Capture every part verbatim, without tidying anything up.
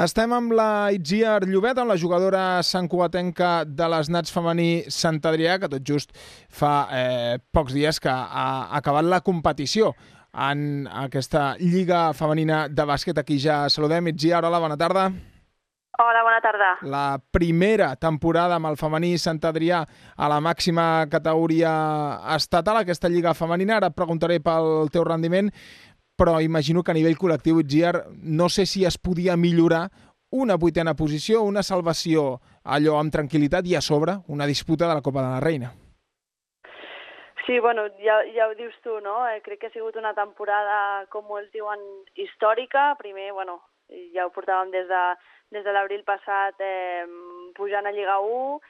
Estem amb la Itziar Llobet, amb la jugadora santcugatenca de les Nats femení Sant Adrià, que tot just fa eh, pocs dies que ha acabat la competició en aquesta Lliga Femenina de Bàsquet. Aquí ja saludem. Itziar, hola, bona tarda. Hola, bona tarda. La primera temporada amb el femení Sant Adrià a la màxima categoria estatal, aquesta Lliga Femenina. Ara et preguntaré pel teu rendiment, però imagino que a nivell col·lectiu, Itziar, no sé si es podia millorar una vuitena posició, una salvació allò amb tranquil·litat i a sobre una disputa de la Copa de la Reina. Sí, bueno, ja, ja ho dius tu, no? Eh, crec que ha sigut una temporada, com molts diuen, històrica. Primer, bueno, ja ho portàvem des de, des de l'abril passat eh, pujant a Lliga u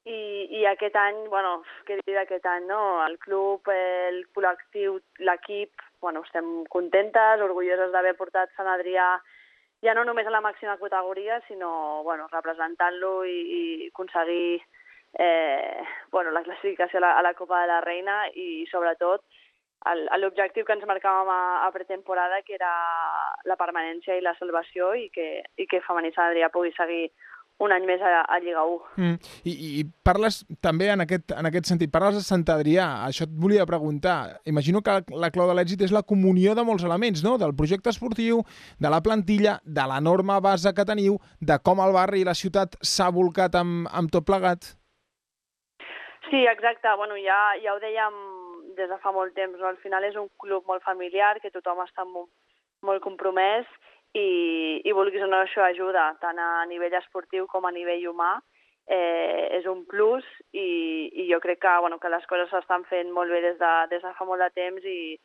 i, i aquest any, bueno, què dir d'aquest any, no? El club, el col·lectiu, l'equip, bueno, estem contentes, orgulloses d'haver portat Sant Adrià ja no només a la màxima categoria, sinó, bueno, representant-lo i, i aconseguir eh, bueno, la classificació a la, a la Copa de la Reina i, sobretot, l'objectiu que ens marcàvem a, a pretemporada, que era la permanència i la salvació i que, i que Femení Sant Adrià pugui seguir un any més a, a Lliga u. Mm. I, I parles també en aquest, en aquest sentit, parles de Sant Adrià, això et volia preguntar. Imagino que la clau de l'èxit és la comunió de molts elements, no? Del projecte esportiu, de la plantilla, de l'enorme base que teniu, de com el barri i la ciutat s'ha volcat amb, amb tot plegat. Sí, exacte. Bueno, ja, ja ho dèiem des de fa molt temps, no? Al final és un club molt familiar, que tothom està molt, molt compromès i, i vulguis o no, això ajuda, tant a nivell esportiu com a nivell humà. Eh, és un plus i, i jo crec que, bueno, que les coses s'estan fent molt bé des de, des de fa molt de temps i,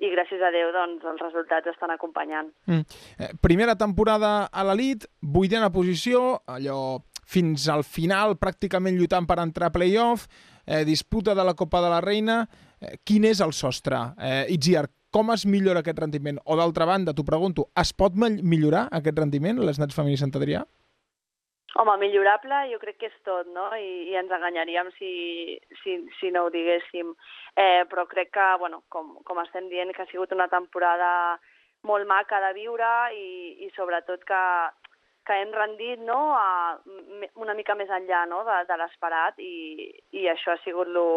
i gràcies a Déu doncs, els resultats estan acompanyant. Mm. Eh, primera temporada a l'elit, vuitena posició, allò fins al final pràcticament lluitant per entrar a play-off, eh, disputa de la Copa de la Reina. Eh, quin és el sostre? Eh, Itziar, com es millora aquest rendiment? O d'altra banda, t'ho pregunto, es pot millorar aquest rendiment, les Nats femení Sant Adrià? Home, millorable jo crec que és tot, no? I, i ens enganyaríem si, si, si no ho diguéssim. Eh, però crec que, bueno, com, com estem dient, que ha sigut una temporada molt maca de viure i, i sobretot que, que hem rendit, no?, a, una mica més enllà, no?, de, de l'esperat i, i això ha sigut lo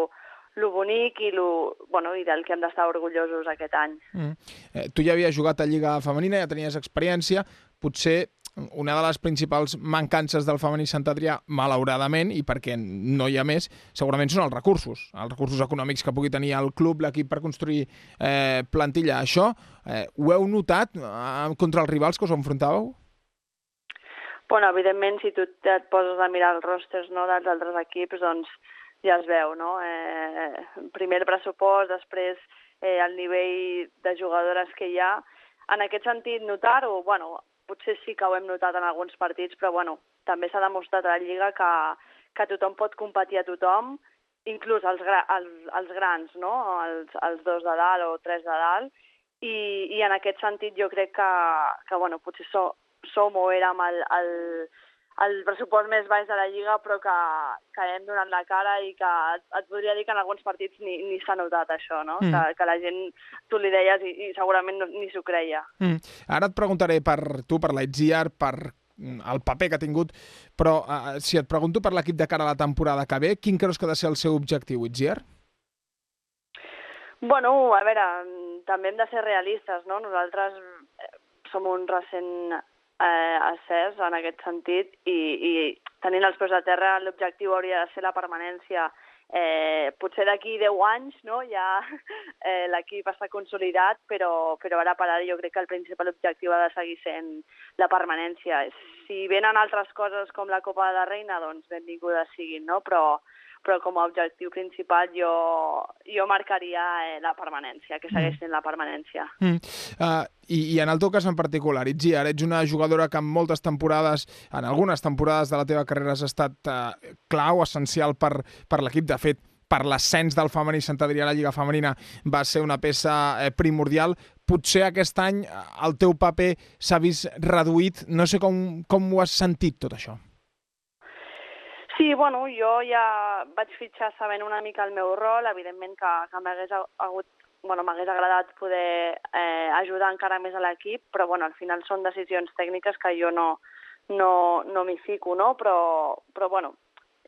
lo bonic i, lo, bueno, i del que hem d'estar orgullosos aquest any. Mm. Eh, tu ja havies jugat a Lliga Femenina, ja tenies experiència. Potser una de les principals mancances del femení Sant Adrià, malauradament, i perquè no hi ha més, segurament són els recursos, els recursos econòmics que pugui tenir el club, l'equip, per construir eh, plantilla. Això eh, ho heu notat eh, contra els rivals que us enfrontàveu? Bueno, evidentment, si tu et poses a mirar els rosters, no, dels altres equips, doncs ja es veu, no? Eh, primer el pressupost, després eh, el nivell de jugadores que hi ha. En aquest sentit, notar-ho, bueno, potser sí que ho hem notat en alguns partits, però bueno, també s'ha demostrat a la Lliga que, que tothom pot competir a tothom, inclús els, gra els, els grans, no? Els, els dos de dalt o tres de dalt, i, i en aquest sentit jo crec que, que bueno, potser so, som o érem el, el el pressupost més baix de la Lliga, però que, que hem donat la cara i que et, et podria dir que en alguns partits ni, ni s'ha notat això, no? Mm. Que, que la gent, tu li deies i, i segurament no, ni s'ho creia. Mm. Ara et preguntaré per tu, per la Itziar, per el paper que ha tingut, però uh, si et pregunto per l'equip de cara a la temporada que ve, quin creus que ha de ser el seu objectiu, Itziar? Bueno, a veure, també hem de ser realistes, no? Nosaltres som un recent Eh, ascès en aquest sentit i, i tenint els peus a terra l'objectiu hauria de ser la permanència. Eh, potser d'aquí deu anys, no? Ja eh, l'equip està consolidat, però, però ara per ara jo crec que el principal objectiu ha de seguir sent la permanència. Si venen altres coses com la Copa de la Reina, doncs benvingudes siguin, no? Però però com a objectiu principal jo, jo marcaria eh, la permanència, que segueix sent la permanència. Mm. Uh, i, I en el teu cas en particular, Itziar, ets una jugadora que en moltes temporades, en algunes temporades de la teva carrera has estat uh, clau, essencial per, per l'equip. De fet, per l'ascens del femení Sant Adrià a la Lliga Femenina va ser una peça eh, primordial. Potser aquest any el teu paper s'ha vist reduït. No sé com, com ho has sentit, tot això. Sí, bueno, jo ja vaig fitxar sabent una mica el meu rol, evidentment que, que m'hagués hagut, bueno, m'hagués agradat poder eh, ajudar encara més a l'equip, però bueno, al final són decisions tècniques que jo no, no, no m'hi fico, no? Però, però bueno,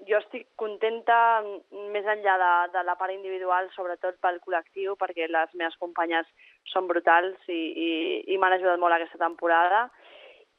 jo estic contenta més enllà de, de la part individual, sobretot pel col·lectiu, perquè les meves companyes són brutals i, i, i m'han ajudat molt aquesta temporada.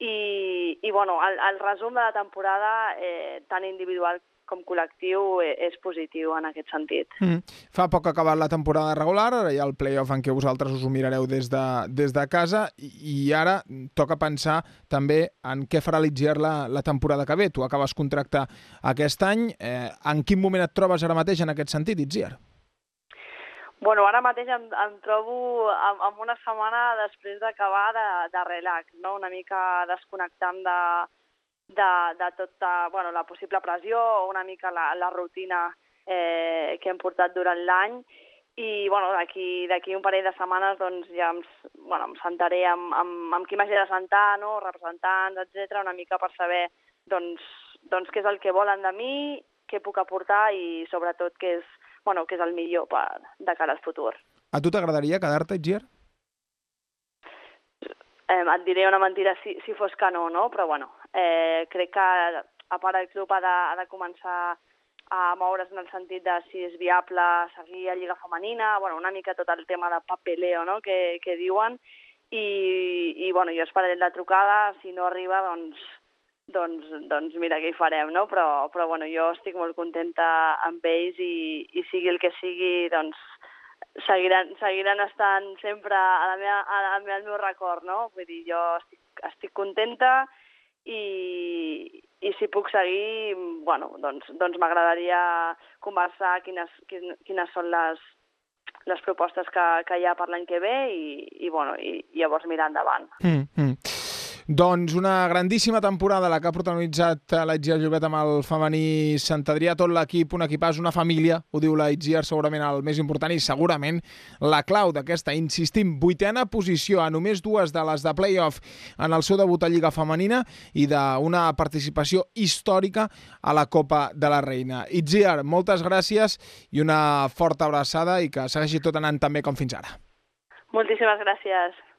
I, i bueno, el, el resum de la temporada, eh, tant individual com col·lectiu, eh, és positiu en aquest sentit. Mm. Fa poc que ha acabat la temporada regular, ara hi ha el play-off en què vosaltres us ho mirareu des de, des de casa i, i ara toca pensar també en què farà l'Itziar la, la temporada que ve. Tu acabes contracte aquest any. Eh, en quin moment et trobes ara mateix en aquest sentit, Itziar? Bueno, ara mateix em, em trobo amb, amb una setmana després d'acabar de, de relax, no? Una mica desconnectant de, de, de tota bueno, la possible pressió o una mica la, la rutina eh, que hem portat durant l'any. I bueno, d'aquí d'aquí un parell de setmanes doncs, ja em, bueno, em sentaré amb, amb, amb qui m'hagi de sentar, no? Representants, etcètera, una mica per saber doncs, doncs, què és el que volen de mi, què puc aportar i sobretot què és, bueno, què és el millor per, de cara al futur. A tu t'agradaria quedar-te, Itziar? Eh, et diré una mentira si, si fos que no, no? Però bueno, eh, crec que a part el club ha de, ha de començar a moure's en el sentit de si és viable seguir a Lliga Femenina, bueno, una mica tot el tema de papeleo, no? que, que diuen, i, i bueno, jo esperaré la trucada, si no arriba, doncs, doncs, doncs mira què hi farem, no? Però, però bueno, jo estic molt contenta amb ells i, i sigui el que sigui, doncs seguiran, seguiran estant sempre a la meva, a la, al meu record, no? Vull dir, jo estic, estic contenta i, i si puc seguir, bueno, doncs, doncs m'agradaria conversar quines, quines, quines són les, les propostes que, que hi ha per l'any que ve i, i, bueno, i, i llavors mirar endavant. Mm, mm. Doncs una grandíssima temporada la que ha protagonitzat l'Itziar Llobet amb el femení Sant Adrià, tot l'equip, un equipàs, una família, ho diu l'Itziar, segurament el més important i segurament la clau d'aquesta, insistim, vuitena posició a només dues de les de play-off en el seu debut a Lliga Femenina i d'una participació històrica a la Copa de la Reina. Itziar, moltes gràcies i una forta abraçada i que segueixi tot anant tan bé com fins ara. Moltíssimes gràcies.